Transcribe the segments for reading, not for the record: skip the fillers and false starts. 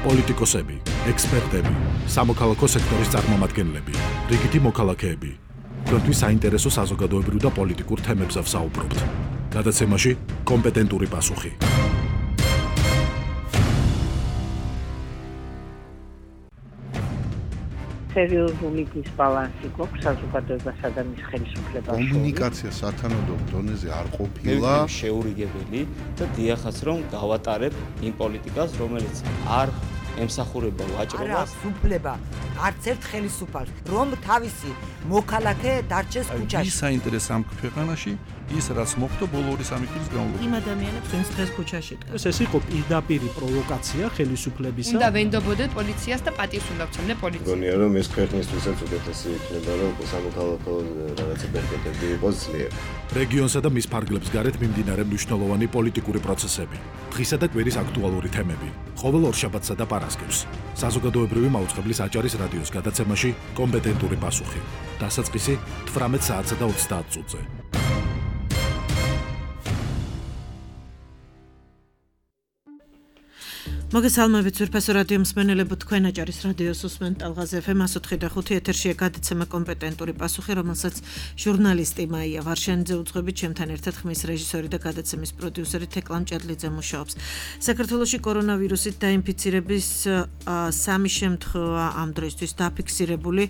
პოლიტიკოსები, ექსპერტები, სამოქალაქო სექტორის წარმომადგენლები, რიგითი მოქალაქეები. Თქვენთვის საინტერესო საზოგადოებრივ და პოლიტიკურ თემებზე ვსაუბრობთ. გადაცემაში კომპეტენტური პასუხი. სერიოზული დისბალანსი გვაქვს საზოგადოებასა და მის ხელისუფლებაში. კომუნიკაცია სათანადო დონეზე არ ყოფილა. შეურიგებელი და დიახაც რომ გავატარებ იმ პოლიტიკას, რომელიც არ ემსახურება ვაჭრობას. სუფლება არც ერთ ხელისუფალს, რომ თავისი მოქალაქე დარჩეს ქუჩაში. ის საინტერესო ამ ქვეყანაში ის რაც მოხდა ბოლო 2-3 წლის განმავლობაში. იმ ადამიანებს ვინც დღეს ქუჩაში დგას. ეს იყო პირდაპირი პროვოკაცია ხელისუფლებისა. უნდა ვენდობოდეთ პოლიციას და პატივს უნდა ვცემდე პოლიციას. მგონია რომ ეს ქვეყნისთვისაც უკეთესი იქნება რომ სამოქალაქო რაღაცა ბერკეტები იყოს ძლიერ. რეგიონსა და მის ფარგლებს გარეთ მიმდინარე მნიშვნელოვანი პოლიტიკური პროცესები. დღისა და კვირის აქტუალური თემები. ყოველ ორშაბათსა და პარასკევს. საზოგადოებრივი მაუწყებლის აჭარის რადიოს გადაცემაში კომპეტენტური პასუხი. დასაწყისი 18 საათსა და 30 წუთზე. მოგესალმებით ვირფასო რადიო მსმენელებო, თქვენ აჭარის რადიოს უსმენთ ტალღაზე FM 104.5 ეთერშია გადაცემა კომპეტენტური პასუხი, რომელსაც ჟურნალისტი მაია ვარშენიძე უძღვებით, ჩემთან ერთად ხმის რეჟისორი და გადაცემის პროდიუსერი თეკლა მჭედლიძე მუშაობს. საქართველოში კორონავირუსით დაინფიცირების 3 შემთხვევა ამ დროისთვის დაფიქსირებული.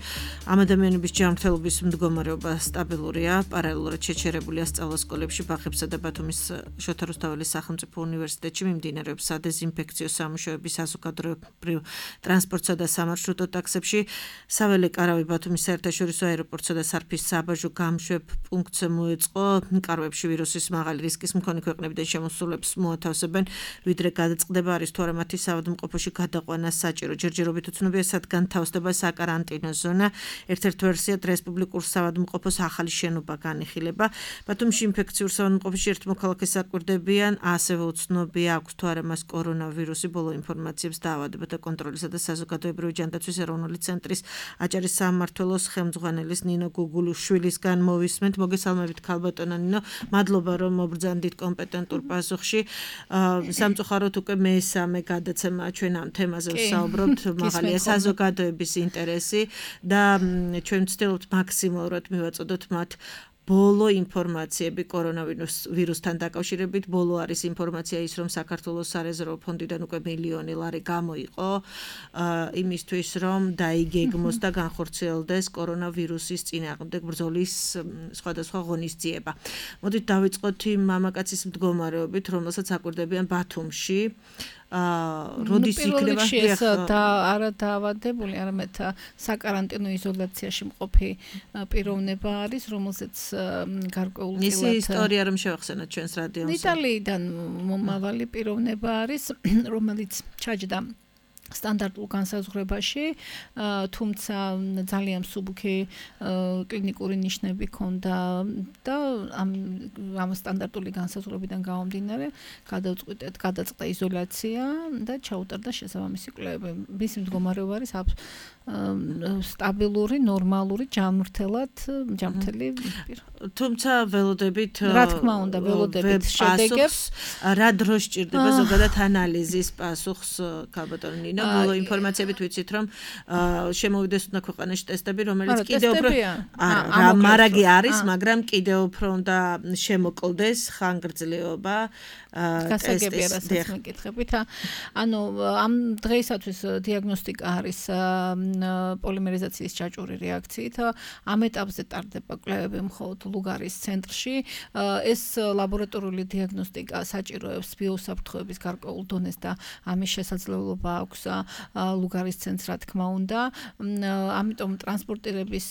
ამ ადამიანების ჯანმრთელობის მდგომარეობა სტაბილურია, პარალელურად შეჩერებულია სწავლასკოლებში, ბაღებსა და ბათუმის შოთა რუსთაველის სახელმწიფო უნივერსიტეტში მიმდინარეობს სადეზინფექციო სამუშაოების საზოგადოებრივ ტრანსპორტსა და სამარშრუტო ტაქსებში. საველე კარავი ბათუმის საერთაშორისო აეროპორტსა და სარფის საბაჟო გამშვებ პუნქტზე მოეწყო. კარვებში ვირუსის მაღალი რისკის მქონე ქვეყნებიდან შემოსულებს მოათავსებენ, ვიდრე გადაწყდება არის თუ არა მათი საავადმყოფოში გადაყვანა საჭირო. ჯერჯერობით უცნობია სად განთავსდება საკარანტინო ზონა. ერთ-ერთ ვერსიად რესპუბლიკურ საავადმყოფოს ახალი შენობა განიხილება. ბათუმში ინფექციურ საავადმყოფოში ერთ მოქალაქეს აკვირდებიან, ასევე უცნობია აქვს თუ არა მას კორონავირუსი. ბოლო ინფორმაციებს დაავადებათა კონტროლისა და საზოგადოებრივი ჯანდაცვის ეროვნული ცენტრის აჭარის სამმართველოს ხელმძღვანელის ნინო გუგულიშვილისგან მოვისმენთ. მოგესალმებით ქალბატონო ნინო, მადლობა რომ მობრძანდით კომპეტენტურ პასუხში. სამწუხაროდ უკვე მესამე გადაცემა ჩვენ ამ თემაზე ვსაუბრობთ. მაღალია საზოგადოების ინტერესი და ჩვენ ვცდილობთ მაქსიმალურად მივაწოდოთ მათ ბოლო ინფორმაციები კორონავირუსთან დაკავშირებით. ბოლო არის ინფორმაცია ის, რომ საქართველოს სარეზერვო ფონდიდან უკვე მილიონი ლარი გამოიყო იმისთვის, რომ დაიგეგმოს და განხორციელდეს კორონავირუსის წინააღმდეგ ბრძოლის სხვადასხვა ღონისძიება. მოდით დავიწყოთ იმ მამაკაცის მდგომარეობით, რომელსაც აკვირდებიან ბათუმში. როდის იქნება ეს არა დაავადებული, არამედ საკარანტინო იზოლაციაში მყოფი პიროვნება არის, რომელსაც გარკვეულწილად მისი ისტორია რომ შევახსენოთ ჩვენს რადიოს. იტალიიდან მომავალი პიროვნება არის, რომელიც ჩაჯდა სტანდარტულ განსაზღვრებაში, თუმცა ძალიან მსუბუქი კლინიკური ნიშნები ჰქონდა და ამ სტანდარტული განსაზღვრებიდან გამომდინარე გადაწყდა იზოლაცია და ჩაუტარდა შესაბამისი კვლევები. მისი მდგომარეობა არის სტაბილური, ნორმალური, ჯანმრთელი პირ. თუმცა ველოდებით რა თქმა უნდა, ველოდებით შედეგებს რა დროს სჭირდება ზოგადად ანალიზის პასუხს ქალბატონო ნინო. ბოლო ინფორმაციებით ვიცით, რომ შემოვიდეს უნდა ქვეყანაში ტესტები, რომელიც კიდევ უფრო მარაგი არის, მაგრამ კიდევ უფრო უნდა შემოკლდეს ხანგრძლივობა გასაგებია რასაც მეკითხებით. ანუ ამ დღეისათვის დიაგნოსტიკა არის პოლიმერიზაციის ჭაჭური რეაქციით. ამ ეტაპზე ტარდება კვლევები მხოლოდ ლუგარის ცენტრში. ეს ლაბორატორიული დიაგნოსტიკა საჭიროებს ბიოსაფრთხოების გარკვეულ დონეს და ამის შესაძლებლობა აქვს ლუგარის ცენტრს, რა თქმა უნდა. ამიტომ ტრანსპორტირების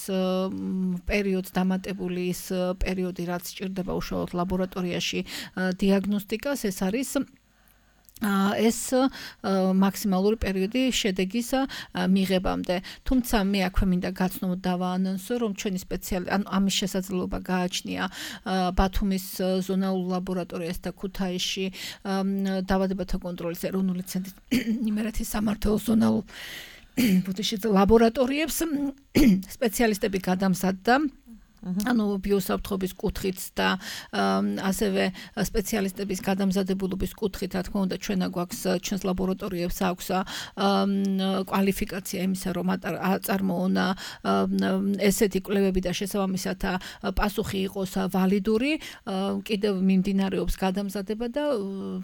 პერიოდს დამატებული ის პერიოდი, რაც სჭირდება უშუალოდ ლაბორატორიაში დიაგნოსტიკას, ეს არის ეს მაქსიმალური პერიოდი შედეგის მიღებამდე. თუმცა მე აქვე მინდა გაცნო დავაანონსო, რომ ჩვენი ამის შესაძლებლობა გააჩნია ბათუმის ზონალურ ლაბორატორიას და ქუთაისში დაავადებათა კონტროლის ეროვნული ცენტრის იმერეთის სამმართველოს ზონალურ ლაბორატორიებს სპეციალისტები გადამზადდა ანუ ბიოსაფრთხობის კუთხით და ასევე სპეციალისტების გადამზადებულობის კუთხით, რა თქმა უნდა, ჩვენ გვაქვს ჩვენს ლაბორატორიებს აქვს კვალიფიკაცია იმისა, რომ აწარმოონ ესეთი კვლევები და შესაბამისად პასუხი იყოს ვალიდური, კიდევ მიმდინარეობს გადამზადება და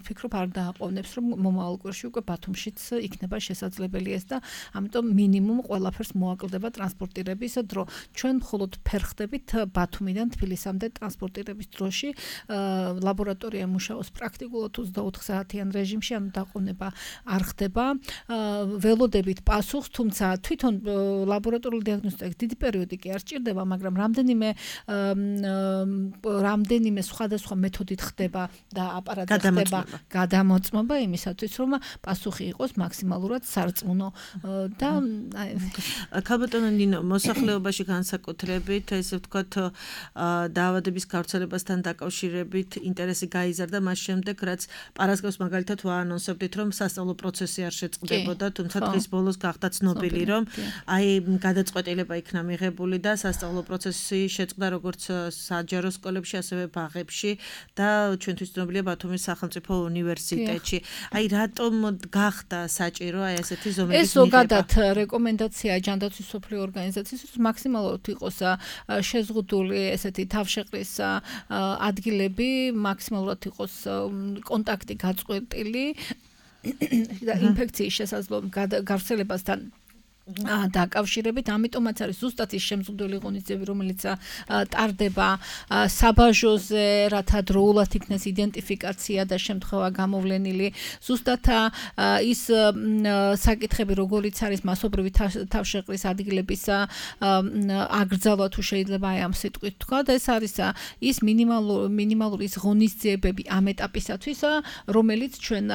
ვფიქრობ არ დააყოვნებს, რომ მომავალ კვირაში უკვე ბათუმშიც იქნება შესაძლებელი ეს და ამიტომ მინიმუმ ყველაფერს მოაკლდება ტრანსპორტირების დრო. ჩვენ მხოლოდ ფერხდებით ბათუმიდან თბილისამდე ტრანსპორტირების დროში ლაბორატორია მუშაობს პრაქტიკულად 24 საათიან რეჟიმში, ანუ დაყოვნება არ ხდება. ველოდებით პასუხს, თუმცა თვითონ ლაბორატორიული დიაგნოსტიკის დიდი პერიოდი კი არ სჭირდება, მაგრამ რამდენიმე სხვადასხვა მეთოდით ხდება და აპარატი ხდება გადამოწმობა იმისათვის, რომ პასუხი იყოს მაქსიმალურად სარწმუნო და ქალბატონო ნინო, მოსახლეობაში განსაკუთრებით ესე ვთქვათ დაავადების გავრცელებასთან დაკავშირებით ინტერესი გაიზარდა მას შემდეგ, რაც პარასკევს მაგალითად ვაანონსებდით, რომ სასწავლო პროცესი არ შეწყდებოდა, თუმცა დღის ბოლოს გახდა ცნობილი, რომ აი გადაწყვეტილება იქნა მიღებული და სასწავლო პროცესი შეწყდა როგორც საჯარო სკოლებში, ასევე ბაღებში და ჩვენთვის ცნობილია ბათუმის სახელმწიფო უნივერსიტეტში. აი რატომ გახდა საჭირო აი ესეთი ზომების მიღება? ეს ზოგადად რეკომენდაციაა ჯანდაცვის მსოფლიო ორგანიზაციის, მაქსიმალურად იყოს შეზღუდული ესეთი თავშეყრის ადგილები, მაქსიმალურად იყოს კონტაქტი გაწყვეტილი და ინფექციის შესაძლო გავრცელებასთან დაკავშირებით, ამიტომაც არის ზუსტად ის შემზღუდველი ღონისძიებები, რომელიც ტარდება საბაჟოზე, რათა დროულად იქნეს იდენტიფიკაცია და შემთხვევა გამოვლენილი. ზუსტად ის საკითხები, როგორიც არის მასობრივი თავშეყრის ადგილების აკრძალვა, თუ შეიძლება აი ამ სიტყვით თქვა, და ეს არის ის მინიმალური ის ღონისძიებები ამ ეტაპისათვის, რომელიც ჩვენ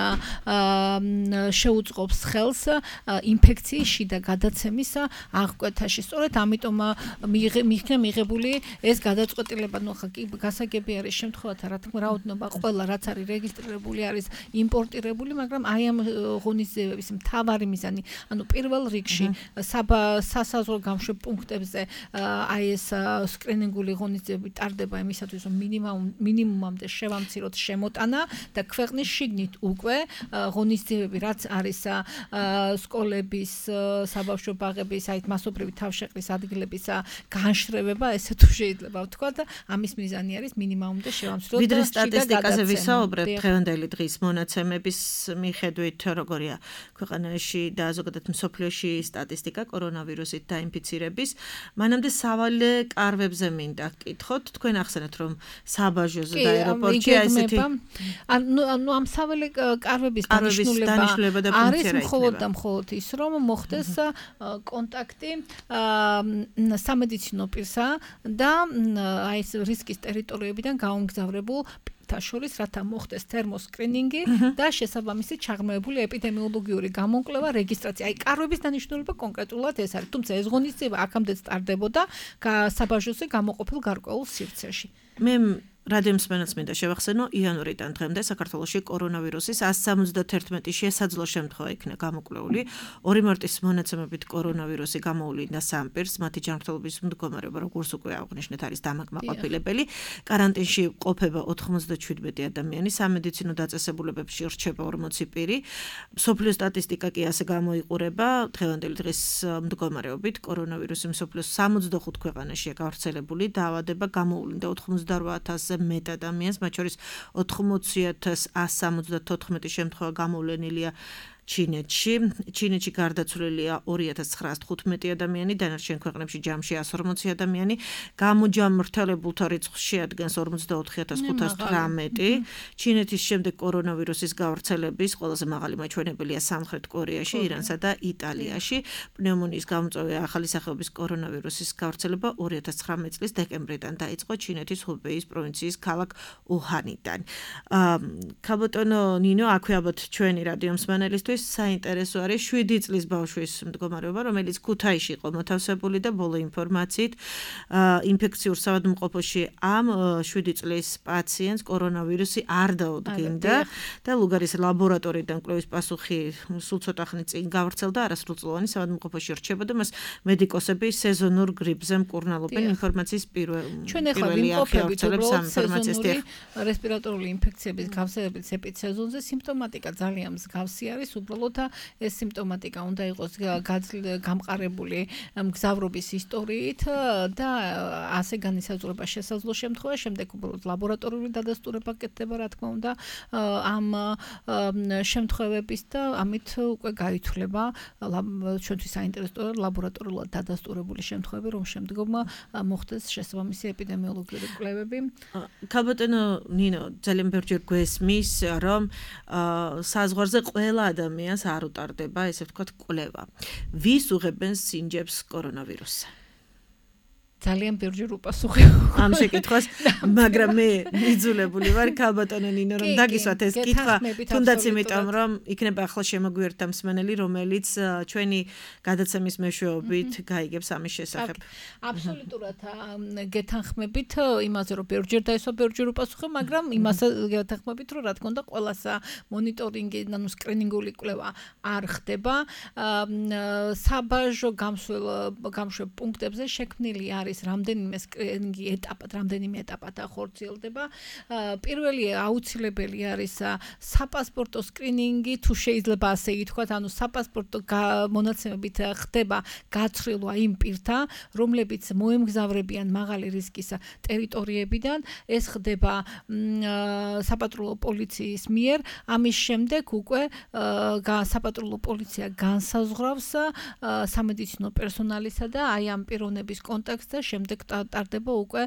შეუწყობს ხელს ინფექციის შიდა გადაცემის აღკვეთაში. სწორედ ამიტომ მიიქნა მიღებული ეს გადაწყვეტილება, ნუ ხა გასაგები არის შემთხვევათა, რა თქმა რაოდენობა ყველა რაც არის რეგისტრირებული არის იმპორტირებული, მაგრამ აი ამ ღონისძიებების მთავარი მიზანი, ანუ პირველ რიგში სასაზღვრო გამშვებ პუნქტებზე აი ეს სკრინინგული ღონისძიებები ტარდება იმისათვის, რომ მინიმუმამდე შევამციროთ შემოტანა და ქვეყნის შიგნით უკვე ღონისძიებები რაც არის სკოლების საბავშვო ბაღების, აი მასობრივი თავშეყრის ადგილების განშრევება, ესე თუ შეიძლება ვთქვა და ამის მიზანი არის მინიმუმამდე შევამციროთ. ვიდრე სტატისტიკაზე ვისაუბრებთ, დღევანდელი დღის მონაცემების მიხედვით როგორია ქვეყანაში და ზოგადად მსოფლიოში სტატისტიკა კორონავირუსით დაინფიცირების, მანამდე სავალე კარვებზე მინდა გკითხოთ, თქვენ ახსენეთ, რომ საბაჟოზე და აეროპორტში ესეთი ანუ ამ სავალე კარვების დანიშნულება არის მხოლოდ და მხოლოდ ის, რომ მოხდეს კონტაქტი სამედიცინო პირსა და აი ეს რისკის ტერიტორიებიდან გაუმგზავრებულ შორის, რათა მოხდეს თერმოსკრინინგი და შესაბამისი ჩაღრმავებული ეპიდემიოლოგიური გამოკვლევა, რეგისტრაცია. აი კარვების დანიშნულება კონკრეტულად ეს არის, თუმცა ეს ღონისძიება აქამდეც ტარდებოდა საბაჟოზე გამოყოფილ გარკვეულ სივრცეში. მე რადიო მსმენელს მინდა შევახსენო, იანვრიდან დღემდე საქართველოში კორონავირუსის 171 შესაძლო შემთხვევა იქნა გამოკვლეული. 2 მარტის მონაცემებით კორონავირუსი გამოუვლინა 3 პირს, მათი ჯანმრთელობის მდგომარეობა, როგორც უკვე აღნიშნეთ, არის დამაკმაყოფილებელი. კარანტინში ყოფება 97 ადამიანი, სამედიცინო დაწესებულებებში რჩება 40 პირი. მსოფლიო სტატისტიკა კი ასე გამოიყურება, დღევანდელი დღის მდგომარეობით კორონავირუსი მსოფლიოს 65 ქვეყანაშია გავრცელებული, დაავადება გამოუვლინდა 98,000 მეტ ადამიანს, მათ შორის 80,174 შემთხვევა გამოვლენილია ჩინეთში გარდაცვლილია 2915 ადამიანი, დანარჩენ ქვეყნებში ჯამში 140 ადამიანი, გამოჯამრთელებულთა რიცხვს შეადგენს 44518. ჩინეთის შემდეგ კორონავირუსის გავრცელების ყველაზე მაღალი მაჩვენებელია სამხრეთ კორეაში, ირანსა და იტალიაში. პნევმონიის გამომწვევი ახალი სახეობის კორონავირუსის გავრცელება 2019 წლის დეკემბრიდან დაიწყო ჩინეთის ხუბეის პროვინციის ქალაქ უჰანიდან. ქალბატონო ნინო, აქვე ალბათ ჩვენი რადიო მსმენელისთვის შორის საინტერესო არის 7 წლის ბავშვის მდგომარეობა, რომელიც ქუთაისში იყო მოთავსებული და ბოლო ინფორმაციით ინფექციურ საავადმყოფოში ამ 7 წლის პაციენტს კორონავირუსი არ დაუდგინდა და ლუგარის ლაბორატორიიდან კვლევის პასუხი სულ ცოტა ხნის წინ გავრცელდა არასრულწლოვანი საავადმყოფოში რჩებოდა მას მედიკოსები სეზონურ გრიპზე მკურნალობენ ინფორმაციის ჩვენ ახლა ვიმყოფებით უბრალოდ სეზონური რესპირატორული ინფექციების გავსებების ეპიცეზონზე სიმპტომატიკა ძალიან მსგავსი არის უბრალოდ ეს სიმპტომატიკა უნდა იყოს გამყარებული მგზავრობის ისტორიით და ასე განისაზღვრება შესაძლო შემთხვევა შემდეგ უბრალოდ ლაბორატორიული დადასტურება კეთდება რა თქმა უნდა ამ შემთხვევების და ამით უკვე გაითვლება ჩვენთვის საინტერესოა ლაბორატორიულად დადასტურებული შემთხვევები რომ შემდგომ მოხდეს შესაბამისი ეპიდემიოლოგიური კვლევები. ქალბატონო ნინო ძალიან ბევრჯერ გვესმის რომ საზღვარზე ყველა ადამიანს არ უტარდება ესე ვთქვათ კვლევა. ვის უღებენ სინჯებს კორონავირუსს? ძალიან ბევრჯერ უპასუხე ამ შეკითხვას, მაგრამ მე მიძულებული ვარ ქალბატონო ნინო რომ დაგისვათ ეს კითხვა, თუნდაც იმიტომ რომ იქნება ახლა შემოგვიერთდა მსმენელი, რომელიც ჩვენი გადაცემის მეშვეობით გაიგებს ამის შესახებ. აბსოლუტურად გეთანხმებით იმაზე რომ ბევრჯერ დაისვა ბევრჯერ უპასუხე, მაგრამ იმასე გეთანხმებით რომ რა თქმა უნდა ყველასა მონიტორინგი, ანუ სკრინინგული კვლევა არ ხდება. საბაჟო გამშვებ პუნქტებზე შექმნილი არის რამდენიმე სკრინინგი ეტაპად ახორციელდება. პირველი აუცილებელი არის საპასპორტო სკრინინგი, თუ შეიძლება ასე ითქვათ, ანუ საპასპორტო მონაცემებით ხდება გაცვლილვა იმ პირთა, რომლებიც მოემგზავრებიან მაღალი რისკის ტერიტორიებიდან, ეს ხდება საპატრულო პოლიციის მიერ, ამის შემდეგ უკვე საპატრულო პოლიცია განსაზღვრავს სამედიცინო პერსონალისა და აი ამ პიროვნების კონტექსტზე შემდეგ ტარდება უკვე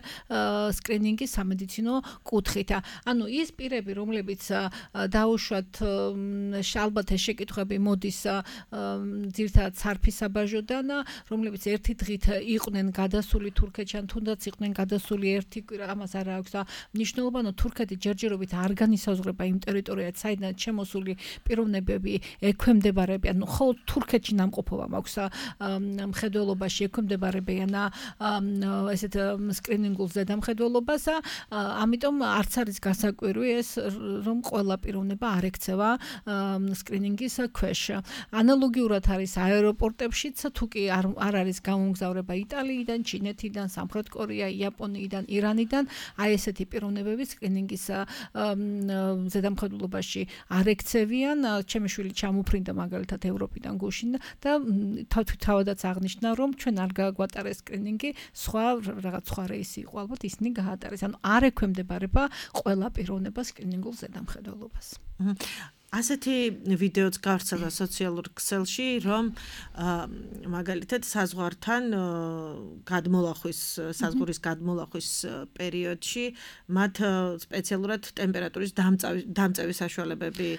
სკრინინგი სამედიცინო კუთხით. ანუ ის პირები, რომლებიც დაუშვათ ალბათ ეს შეკითხვები მოდის ძირითადად სარფის საბაჟოდან, რომლებიც ერთი დღით იყვნენ გადასული თურქეთიდან, თუნდაც იყვნენ გადასული ერთი კვირა, ამას არ აქვს მნიშვნელობა, ანუ თურქეთი ჯერჯერობით არ განისაზღვრება იმ ტერიტორიად, საიდანაც შემოსული პიროვნებები ექვემდებარებიან, ანუ ხოლმე თურქეთში ნამყოფობა მაქვს მხედველობაში ექვემდებარებიან ესეთ სკრინინგულ ზედამხედველობას, ამიტომ არც არის გასაკვირი ეს რომ ყველა პიროვნება არ ექცევა სკრინინგის ქვეშ. ანალოგიურად არის აეროპორტებშიც, თუ კი არ არის გამომგზავრება იტალიიდან, ჩინეთიდან, სამხრეთ კორეა, იაპონიიდან, ირანიდან, აი ესეთი პიროვნებები სკრინინგის ზედამხედველობაში არ ექცევიან. ჩემი შვილი ჩამოფრინდა მაგალითად ევროპიდან გუშინ და თავადაც აღნიშნა რომ ჩვენ არ გაგვატარეს სკრინინგი, რაღაც სხვა რეისი იყო, ალბათ ისინი გაატარეს. ანუ არ ექვემდებარება ყველა პიროვნება სკრინინგულ ზედამხედველობას. ასეთი ვიდეოც გავრცელდა სოციალურ ქსელში, რომ მაგალითად საზღვართან საზღვრის გადმოლახვის პერიოდში მათ სპეციალურად ტემპერატურის დამწევის საშუალებები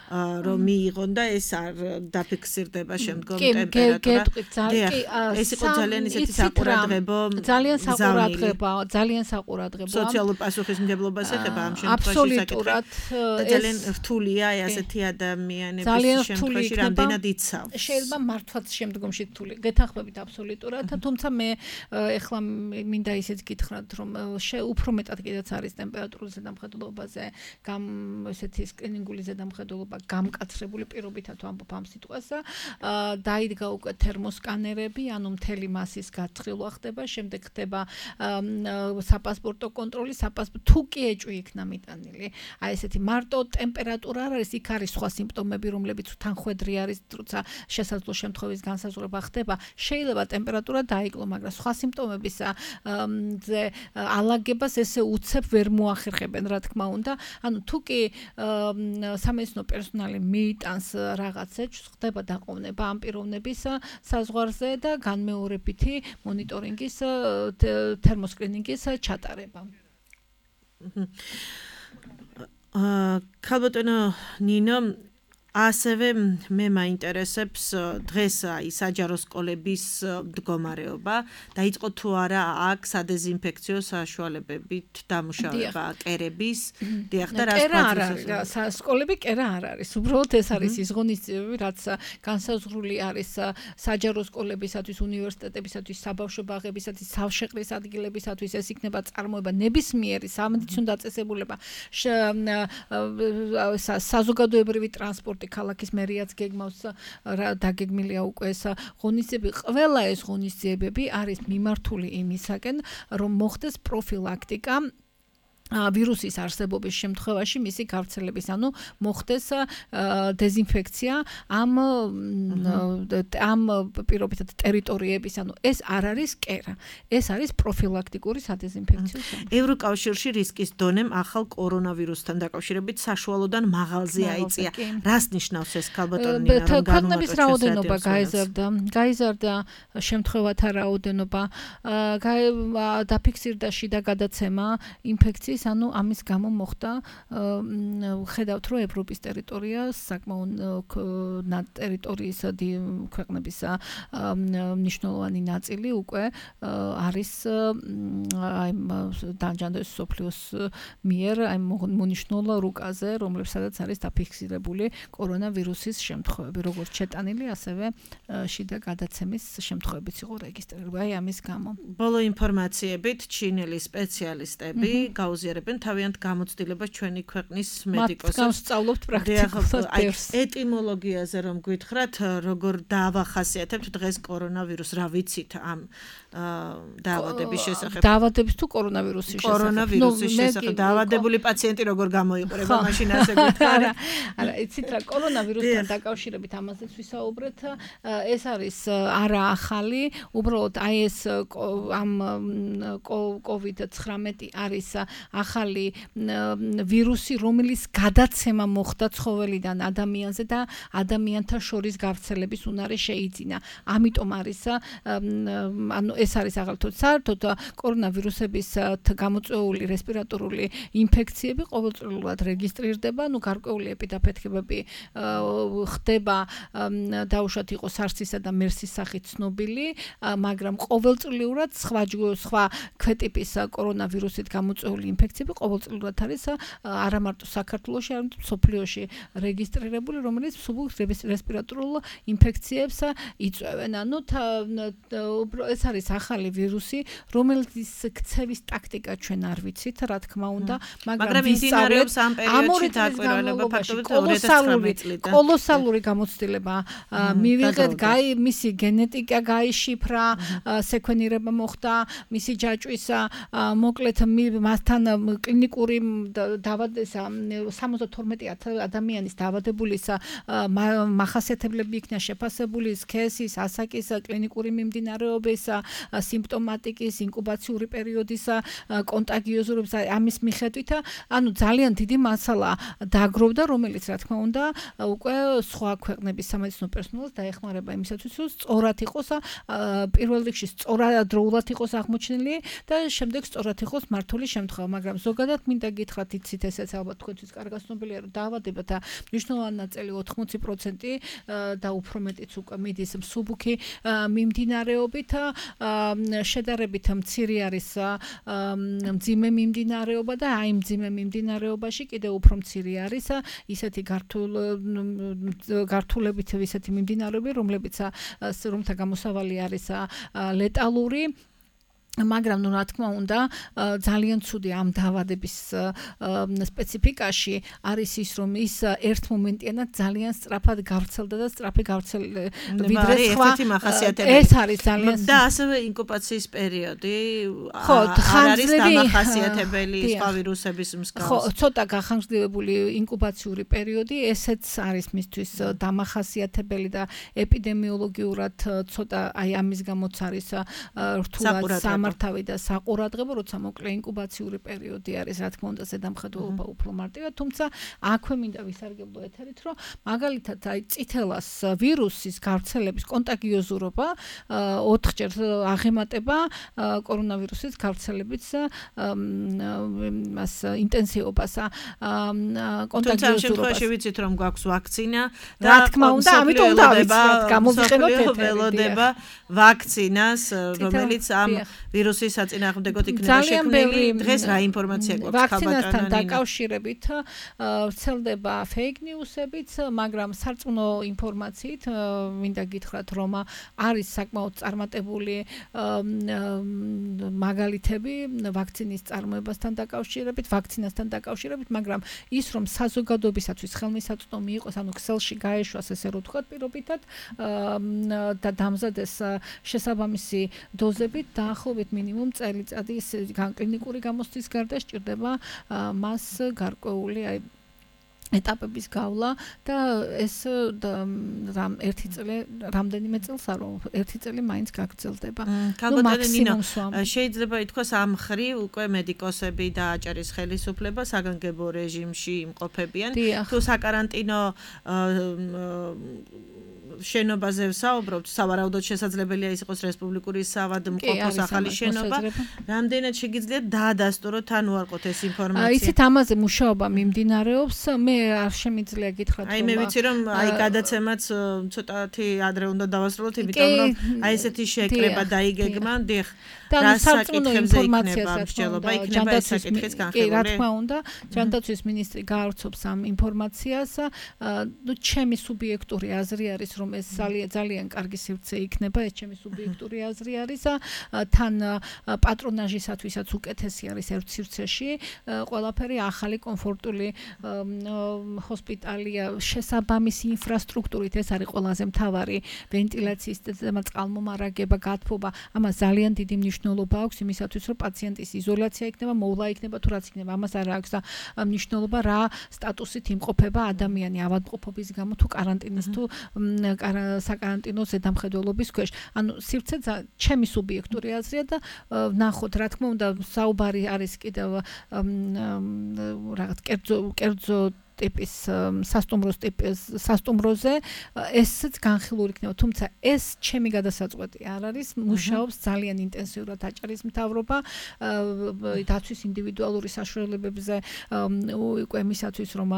რომ მიიღონ და ეს არ დაფიქსირდება შემდგომ ტემპერატურა. ეს იყო ძალიან ისეთი საყურადღებო, ძალიან საყურადღებო. სოციალურ პასუხისმგებლობას ეხება ამ შემთხვევაში საკითხი. ძალიან რთულია ასეთი ადამიანების შემთხვევაში რამდენად იცავს. შეიძლება მართლაც შემდგომში რთული. გეთანხმებით აბსოლუტურად, თუმცა მე ეხლა მინდა ისიც გითხრათ, რომ უფრო მეტად კიდეც არის ტემპერატურის ზედამხედველობაზე ესეთი სკრინინგული ზედამხედველობა გამკაცრებული პირობითად ვამბობ ამ სიტყვას. დაიდგა უკვე თერმოსკანერები, ანუ მთელი მასის გაწრილვა ხდება, შემდეგ ხდება საპასპორტო კონტროლი, თუ კი ეჭვი იქნა მიტანილი. აი ესეთი მარტო ტემპერატურა არ არის, იქ არის სხვა სიმპტომები, რომლებიც უთანხვედრი არის, როცა შესაძლო შემთხვევის განსაზღვრება ხდება. შეიძლება ტემპერატურა დაიკლო, მაგრამ სხვა სიმპტომების ალაგებას ესე უცებ ვერ მოახერხებენ, რა თქმა უნდა. ანუ თუ კი სამედიცინო პერსონალი მიიტანს რაღაც ეჭვს, ხდება დაყოვნება ამ პიროვნების საზღვარზე და განმეორებითი მონიტორინგის თერმოსკრინინგის ჩატარება. ქალბატონო ნინო, ასევე მე მაინტერესებს დღეს აი საჯარო სკოლების მდგომარეობა. დაიწყო თუ არა აქ სადეზინფექციო საშუალებებით დამუშავება კერების. დიახ და რას სკოლები კერა არ არის. უბრალოდ ეს არის ის ღონისძიებები, რაც განსაზღვრული არის საჯარო სკოლებისათვის, უნივერსიტეტებისათვის, საბავშვო ბაღებისათვის, სავშეყრის ადგილებისათვის. ეს იქნება წარმოება ნებისმიერი სამედიცინო დაწესებულება, საზოგადოებრივი ტრანსპორტი ქალაქის მერიაც გეგმავს დაგეგმილია უკვე ეს ღონისძიებები. ყველა ეს ღონისძიებები არის მიმართული იმისაკენ, რომ მოხდეს პროფილაქტიკა ვირუსის არსებობის შემთხვევაში მისი გავრცელების, ანუ მოხდეს დეზინფექცია ამ პირობითად ტერიტორიების, ანუ ეს არ არის კერა, ეს არის პროფილაქტიკური სადეზინფექციო სამუშაო. ევროკავშირში რისკის დონემ ახალ კორონავირუსთან დაკავშირებით საშუალოდან მაღალზე აიწია. რას ნიშნავს ეს ქალბატონი ნინა, რომ ქვეყნების რაოდენობა გაიზარდა შემთხვევათა რაოდენობა, დაფიქსირდა შიდა გადაცემა ინფექციის, ანუ ამის გამო მოხდა ხედავთ რომ ევროპის ტერიტორია საკმაოდ ტერიტორიის ქვეყნების მნიშვნელოვანი ნაწილი უკვე არის აი დაჯანდოს სოფლიოს მიერ აი მონიშნულ რუკაზე, რომლებსაც არის დაფიქსირებული კორონავირუსის შემთხვევები, როგორც შეტანილი, ასევე შიდა გადაცემის შემთხვევებიც იყო რეგისტრირებული აი ამის გამო. ბოლო ინფორმაციებით ჩინელი სპეციალისტები გაუზიარებენ თავიანთ გამოცდილებას ჩვენი ქვეყნის მედიკოსებს. მათ განსწავლობთ პრაქტიკულად დევს. ეტიმოლოგიაზე რომ გითხრათ, როგორ დაავახასიათებთ დღეს კორონავირუსს, რა ვიცით ამ დაავადების შესახებ? დაავადების თუ კორონავირუსის შესახებ? კორონავირუსის შესახებ დაავადებული პაციენტი როგორ გამოიყურება, მაშინ ასე გითხარი? არა, იცით რა, კორონავირუსთან დაკავშირებით ამაზეც ვისაუბრეთ. ეს არის არა ახალი, უბრალოდ აი ეს ამ COVID-19 არის ახალი ვირუსი, რომელიც გადაცემა მოხდა ცხოველიდან ადამიანზე და ადამიანთა შორის გავრცელების უნარი შეიძინა. ამიტომ არის ანუ ეს არის აღალთოთ საერთოდ კორონავირუსების გამოწვეული რესპირატორული ინფექციები ყოველწლიურად რეგისტრირდება, ანუ გარკვეული ეპიდაფეთქებები ხდება, დაუშვათ იყო SARS-ისა და MERS-ის სახით ცნობილი, მაგრამ ყოველწლიურად სხვა ქვეტიპის კორონავირუსით გამოწვეული ინფექციები ყოველწლიურად არის არა მარტო საქართველოში, არამედ მსოფლიოში რეგისტრირებული, რომელიც რესპირატორულ ინფექციებს იწვევენ. ანუ ეს არის ახალი ვირუსი, რომელიც ქცევის ტაქტიკა ჩვენ არ ვიცით, რა თქმა უნდა, მაგრამ ვისწავლეთ ამ პერიოდში დაკვირვება ფაქტობრივად 2019 წლიდან. კოლოსალური გამოცდილება მივიღეთ, მისი გენეტიკა გაიშიფრა, სეკვენირება მოხდა, მისი ჯაჭვის მოკლედ მასთან კლინიკური დაავადება 72,000 ადამიანის დაავადებულის მახასიათებლები იქნა შეფასებული, სქესის, ასაკის, კლინიკური მიმდინარეობის, სიმპტომატიკის, ინკუბაციური პერიოდის, კონტაგიოზურობის ამის მიხედვით, ანუ ძალიან დიდი მასალა დაგროვდა, რომელიც რა თქმა უნდა უკვე სხვა ქვეყნების სამედიცინო პერსონალს დაეხმარება იმისათვის, რომ სწორად იყოს პირველ რიგში სწორადროულად იყოს აღმოჩენილი და შემდეგ სწორად იყოს მართული შემთხვევა, მაგრამ ზოგადად მინდა გითხრათ, იცით ესეც ალბათ თქვენთვის კარგად ცნობილია, რომ დაავადებათა მნიშვნელოვანი ნაწილი 80% და უფრო მეტიც უკვე მიდის მსუბუქი მიმდინარეობით, შედარებით მცირე არის მძიმე მიმდინარეობა და აი მძიმე მიმდინარეობაში კიდევ უფრო მცირე არის ისეთი გართულებით ისეთი მიმდინარეობები, რომთა გამოსავალი არის ლეტალური. მაგრამ რა თქმა უნდა ძალიან ცუდი ამ დაავადების სპეციფიკაში არის ის, რომ ის ერთ მომენტიანად ძალიან სწრაფად გავრცელდა და სწრაფი ვიდრე სხვა ეს არის ძალიან და ასევე ინკუბაციის პერიოდი არ არის დამახასიათებელი სხვა ვირუსების მსგავს. ხო, ცოტა გახანგრძლივებული ინკუბაციური პერიოდი, ესეც არის მისთვის დამახასიათებელი და ეპიდემიოლოგიურად ცოტა აი ამის გამოც არის რთულად გამართავი და საყურადღებო, როცა მოკლე ინკუბაციური პერიოდი არის, რა თქმა უნდა, ზედამხედველობა უფრო მარტივია, თუმცა აქვე მინდა ვისარგებლო ეთერით, რომ მაგალითად აი წითელას ვირუსის გავრცელების კონტაგიოზურობა 4-ჯერ აღემატება კორონავირუსის გავრცელების მას ინტენსივობას. თუმცა ამ შემთხვევაში ვიცით რომ გვაქვს ვაქცინა რა თქმა უნდა, ამიტომ უნდა ავიცნოთ, გამოვიყენოთ ველოდება ვაქცინას, რომელიც ამ ვირუსის საწინააღმდეგოდ იქნება შექმნილი. დღეს რა ინფორმაცია გვაქვს ვაქცინასთან დაკავშირებით ვრცელდება fake news-ებიც, მაგრამ სარწმუნო ინფორმაციით მინდა გითხრათ, რომ არის საკმაოდ წარმატებული მაგალითები ვაქცინის წარმოებასთან დაკავშირებით, ვაქცინასთან დაკავშირებით, მაგრამ ის რომ საზოგადოებისათვის ხელმისაწვდომი იყოს, ანუ ქსელში გაეშვას ესე რომ ვთქვათ პირობითად და დამზადეს შესაბამისი დოზებით, დაახლოებით მინიმუმ წელიწადის კლინიკური გამოცდის გარდა სჭირდება მას გარკვეული ეტაპების გავლა და ეს ერთი წელი რამდენიმე წელს არ ერთი წელი მაინც გაგრძელდება. შეიძლება ითქვას ამ ხრივ უკვე მედიკოსები და აჭარის ხელისუფლება საგანგებო რეჟიმში იმყოფებიან. თუ საკარანტინო შენობაზე ვსაუბრობთ, სავარაუდოდ შესაძლებელია ის იყოს რესპუბლიკური საავადმყოფოს ახალი შენობა. რამდენად შეგიძლიათ დაადასტუროთ ან უარყოთ ეს ინფორმაცია? იცით, ამაზე მუშაობა მიმდინარეობს. მე არ შემიძლია გითხრათ, რომ მე ვიცი რომ გადაცემაც ცოტათი ადრე უნდა დავასრულოთ, იმიტომ რომ ესეთი შეკრება დაიგეგმა, დიახ. და სარწმუნო ინფორმაციას იქნება ეს საკითხიც განხილული. რა თქმა უნდა, ჯანდაცვის მინისტრი გაავრცობს ამ ინფორმაციას. ჩემი სუბიექტური აზრი არის, რომ ეს ძალიან კარგი სივრცე იქნება, ეს ჩემი სუბიექტური აზრი არის. თან პატრონაჟისათვისაც უკეთესი არის ერთ სივრცეში. ყველაფერი ახალი კომფორტული ჰოსპიტალია, შესაბამისი ინფრასტრუქტურით, ეს არის ყველაზე მთავარი ვენტილაციის და წყალმომარაგება, გათბობა. ამას ძალიან დიდი მნიშვნელობა აქვს იმისათვის, რომ პაციენტის იზოლაცია იქნება, მოვლა იქნება თუ რაც იქნება, ამას არ აქვს და მნიშვნელობა რა სტატუსით იმყოფება ადამიანი ავადმყოფობის გამო თუ კარანტინის თუ საკარანტინო ზედამხედველობის ქვეშ. ანუ სივრცე ჩემი სუბიექტური აზრია და ნახოთ, რა თქმა უნდა, საუბარი არის კიდევ რაღაც კერძო ტიპის სასტუმროზე ესეც განხილული იქნება, თუმცა ეს ჩემი გადასაწყვეტი არ არის, მუშაობს ძალიან ინტენსიურად აჭარის მთავრობა დაცვის ინდივიდუალური საშუალებებზე უკვე მისათვის რომ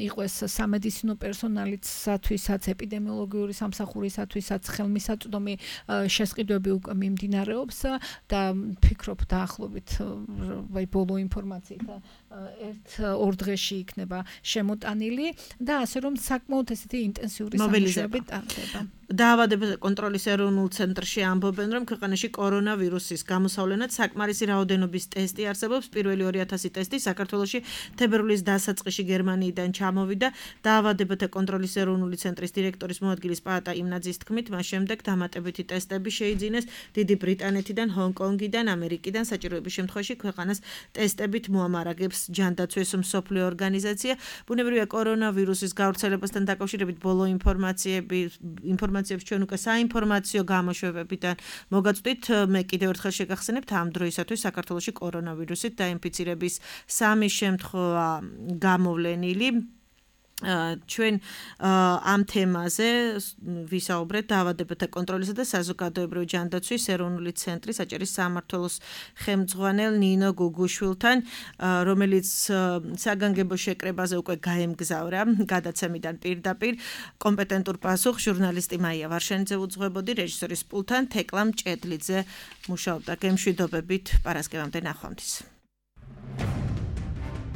იყოს სამედიცინო პერსონალისათვისაც, ეპიდემიოლოგიური სამსახურისათვისაც ხელმისაწვდომი შესყიდვები უკვე მიმდინარეობს და ფიქრობ დაახლოებით ბოლო ინფორმაციით 1-2 დღეში იქნება შემოტანილი და ასე რომ საკმაოდ ესეთი ინტენსიური სამუშაოები ტარდება. დაავადებათა კონტროლის ეროვნულ ცენტრში ამბობენ, რომ ქვეყანაში კორონავირუსის გამოსავლენად საკმარისი რაოდენობის ტესტი არსებობს. პირველი 2000 ტესტი საქართველოში თებერვლის დასაწყისში გერმანიიდან ჩამოვიდა. დაავადებათა კონტროლის ეროვნული ცენტრის დირექტორის მოადგილის პაატა იმნაძის თქმით, მას შემდეგ დამატებითი ტესტები შეიძინეს დიდი ბრიტანეთიდან, ჰონკონგიდან, ამერიკიდან. საჭიროების შემთხვევაში ქვეყანას ტესტებით მოამარაგებს ჯანდაცვის მსოფლიო ორგანიზაცია. ბუნებრივია კორონავირუსის გავრცელებასთან დაკავშირებით ბოლო ინფორმაციებს ჩვენ უკვე საინფორმაციო გამოშვებებიდან მოგაწვდით. მე კიდევ ერთხელ შეგახსენებთ, ამ დროისათვის საქართველოში კორონავირუსით დაინფიცირების 3 შემთხვევა გამოვლენილი. ჩვენ ამ თემაზე ვისაუბრეთ დაავადებათა კონტროლისა და საზოგადოებრივი ჯანდაცვის ეროვნული ცენტრის აჭარის სამმართველოს ხელმძღვანელ ნინო გუგუშვილთან, რომელიც საგანგებო შეკრებაზე უკვე გაემგზავრა გადაცემიდან პირდაპირ. კომპეტენტურ პასუხს ჟურნალისტი მაია ვარშენიძე უძღვებოდი, რეჟისორის პულტთან თეკლა მჭედლიძე მუშაობდა. გემშვიდობებით, პარასკევამდე ნახვამდის.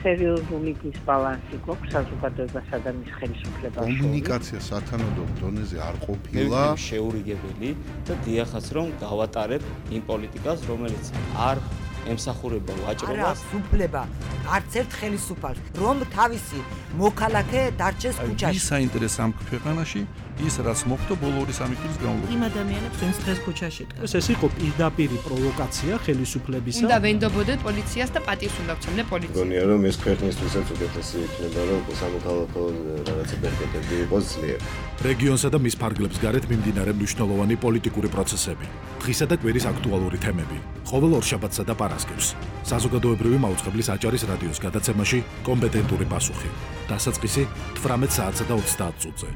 სერიოზული დისბალანსი გვაქვს საზოგადოებასა და მის ხელისუფლებას. კომუნიკაცია სათანადო დონეზე არ ყოფილა შეურიგებელი და დიახაც რომ გავატარებ იმ პოლიტიკას, რომელიც არ ემსახურება ვაჭრობას. არა, უფლება არც ერთ ხელისუფალს, რომ თავისი მოქალაქე დარჩეს ქუჩაში. ვის საინტერესო ამ ქვეყანაში ის რაც მოხდა ბოლო 2-3 წლის განმავლობაში. იმ ადამიანებს ვინც დღეს ქუჩაში დგას. ეს იყო პირდაპირი პროვოკაცია ხელისუფლებისა. უნდა ვენდობოდეთ პოლიციას და პატივს უნდა ვცემდე პოლიციას. გონია რომ ეს ქვეყნისთვისაც უკეთესი იქნება რომ სამოქალაქო რაღაცა ბერკეტები იყოს ძლიერ. რეგიონსა და მის ფარგლებს გარეთ მიმდინარე მნიშვნელოვანი პოლიტიკური პროცესები, დღისა და კვირის აქტუალური თემები, ყოველ ორშაბათსა და პარასკევს. საზოგადოებრივი მაუწყებლის აჭარის რადიოს გადაცემაში კომპეტენტური პასუხი. დასაწყისი 18 საათსა და 30 წუთზე.